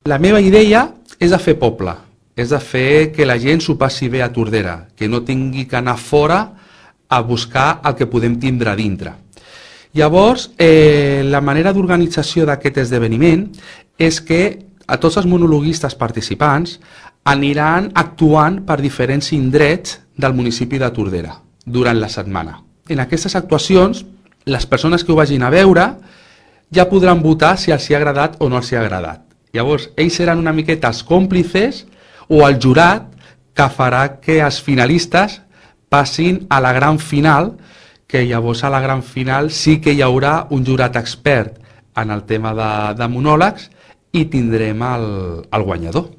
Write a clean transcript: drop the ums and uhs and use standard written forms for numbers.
La meva idea és de fer poble, és de fer que la gent s'ho passi bé a Tordera, que no tingui que anar fora a buscar el que podem tindre a dintre. Llavors, la manera d'organització d'aquest esdeveniment és que a tots els monologuistes participants aniran actuant per diferents indrets del municipi de Tordera durant la setmana. En aquestes actuacions, les persones que ho vagin a veure ja podran votar si els hi ha agradat o no els hi ha agradat. Llavors, ells seran una miqueta els còmplices o el jurat que farà que els finalistes passin a la gran final, que llavors a la gran final sí que hi haurà un jurat expert en el tema de monòlegs i tindrem el guanyador.